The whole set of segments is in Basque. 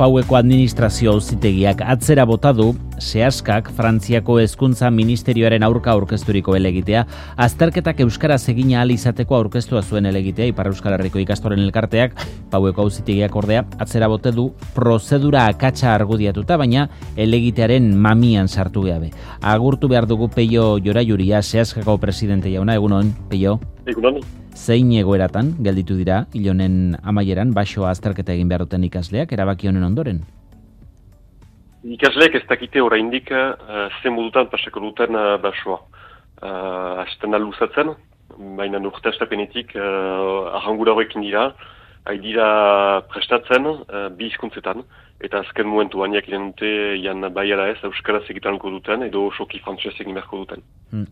Paueko administrazio auzitegiak atzera bota du Seaskak Frantziako Hezkuntza Ministerioaren aurka aurkezturiko helegitea, azterketak euskaraz egin ahal izateko aurkeztua zuen helegitea Ipar Euskal Herriko ikastolen elkarteak. Paueko auzitegiak ordea atzera bote du prozedura akatsa argudiatuta, baina helegitearen mamian sartu gabe. Agurtu behar dugu Peio Joraiuria, Seaskako presidente jauna. Egunon, Peio. Egunon. Zein egoeratan gelditu dira hilonen amaieran basoa azterketa egin behar duten ikasleak erabaki honen ondoren? Ikasleek ez dakite oraindik zen modutan pasako duten basoa. Hasten luzatzen, baina urte astapenetik ahangura horrekin dira, dira prestatzen bi hizkuntzetan, eta azken momentuan jakinen dute jan baiara ez euskaraz egitanko duten edo soki frantsez egin beharko duten.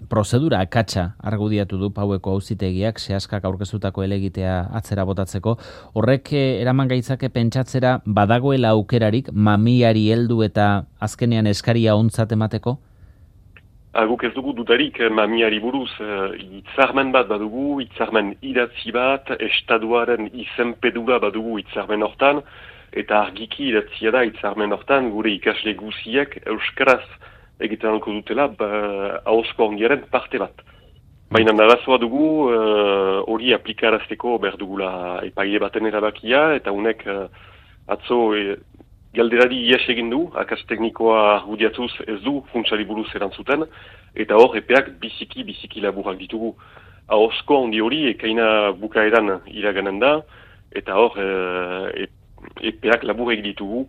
Prozedura akatsa argudiatu du Paueko auzitegiak Seaskak aurkeztutako helegitea atzera botatzeko. Horrek eraman gaitzake pentsatzera badagoela aukerarik mamiari heldu eta azkenean eskaria ontzat emateko? Guk ez dugu dudarik mamiari buruz, hitzarmen bat badugu, hitzarmen idatzi bat, estatuaren izenpedura badugu hitzarmen hortan, eta argiki idatzia da hitzarmen hortan gure ikasle guziek euskaraz egiten alko dutela ahozko ongiaren parte bat. Baina narazoa dugu hori aplikarazteko behar dugula epaile baten erabakia, eta honek atzo galderari ies egin du, akats teknikoa argudiatuz ez du funtsari buruz erantzuten, eta hor epeak biziki laburak ditugu. Ahozko ondi hori ekaina bukaeran iraganen da, eta hor epeak laburek ditugu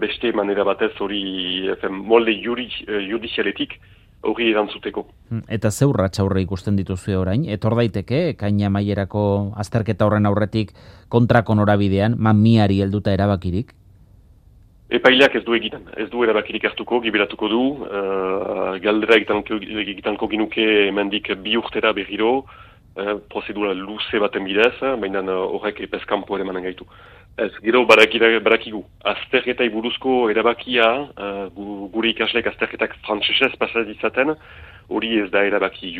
beste manera batez hori molde judizialetik hori erantzuteko. Eta ze urrats aurre ikusten dituzue orain? Etor daiteke, ekaina amaierako azterketa horren aurretik kontrako norabidean, mamiari helduta erabakirik? Epaileak ez du erabakirik hartuko, giberatuko du, galdera egitanko ginuke emendik bi urtera berriro, prozedura luze baten bidez, baina horrek epeskampo ere manen gaitu. Ez, gero barakigu. Azterketai buruzko erabakia, gure ikasleek azterketak frantsesez pasaz izaten, hori ez da erabaki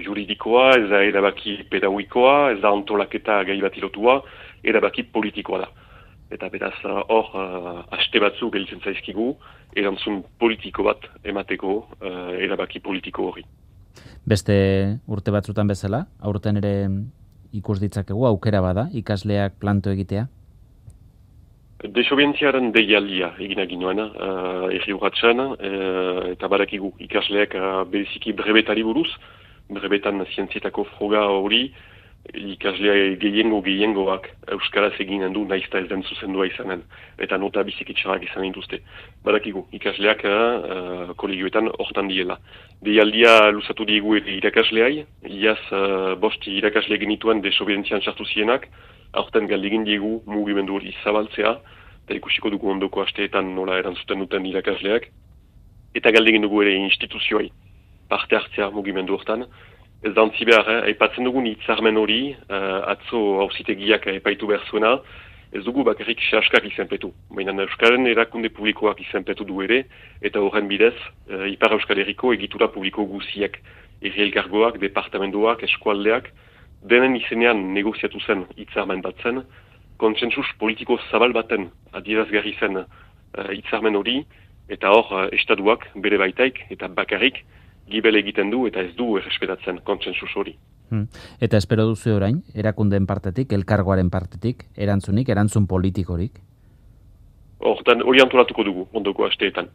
juridikoa, ez da erabaki pedagogikoa, ez da antolaketa gai bat ilotua, erabaki politikoa da. Eta beraz hor haste batzu gelditzen zaizkigu, erantzun politiko bat emateko erabaki politiko hori. Beste urte batzutan bezala, aurten ere ikus ditzakegu aukera bada ikasleak planto egitea? Desobedientziaren deialdia egin aginoen, erri urratxan, eta barakigu ikasleak bereziki brebetari buruz, brebetan zientzietako froga hori, ikaslea gehiengoak euskaraz eginen du naizta ez den zuzendua izanen, eta nota bizikitxarrak izan dituzte. Badakigu, ikasleak kolegioetan hortan diela. Deialdia luzatu diegu irakasleai, iaz bost irakasle genituen desobedientzian sartu zienak, aurten galdegin diegu mugimendu hori zabaltzea, eta ikusiko dugu ondoko asteetan nola erantzuten duten irakasleak, eta galdegin dugu ere instituzioai parte hartzea mugimendu hortan. Ez da ontzi behar, aipatzen dugun hitzarmen hori, atzo auzitegiak epaitu behar zuena, ez dugu bakarrik Seaskak izenpetu. Baina Euskaren erakunde publikoak izenpetu du ere, eta horren bidez, Ipar Euskal Herriko egitura publiko guziak, herri elkargoak, departamentoak, eskualdeak, denen izenean negoziatu zen hitzarmen bat zen, kontsentsus politiko zabal baten adierazgarri zen hitzarmen hori, eta hor estatuak bere baitaik eta bakarrik gibel egiten du eta ez du errespetatzen kontsensus hori. Eta espero duzu orain, erakundeen partetik, elkargoaren partetik, erantzun politikorik? Hortan hori antolatuko dugu, ondoko asteetan.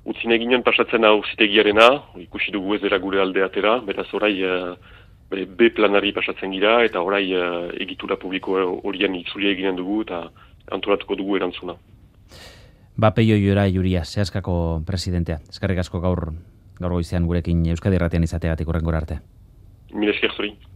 Utzin eginen pasatzen auzitegiarena, ikusi dugu ez dela gure alde atera, beraz orai B planari pasatzen gira, eta orai egitura publiko horien itzulia eginen dugu, eta antolatuko dugu erantzuna. Peio Joraiuria, Seaskako presidentea. Eskerrik asko gaur goizean gurekin Euskadi Irratian izateagatik hurrengora arte. Mila esker zuri.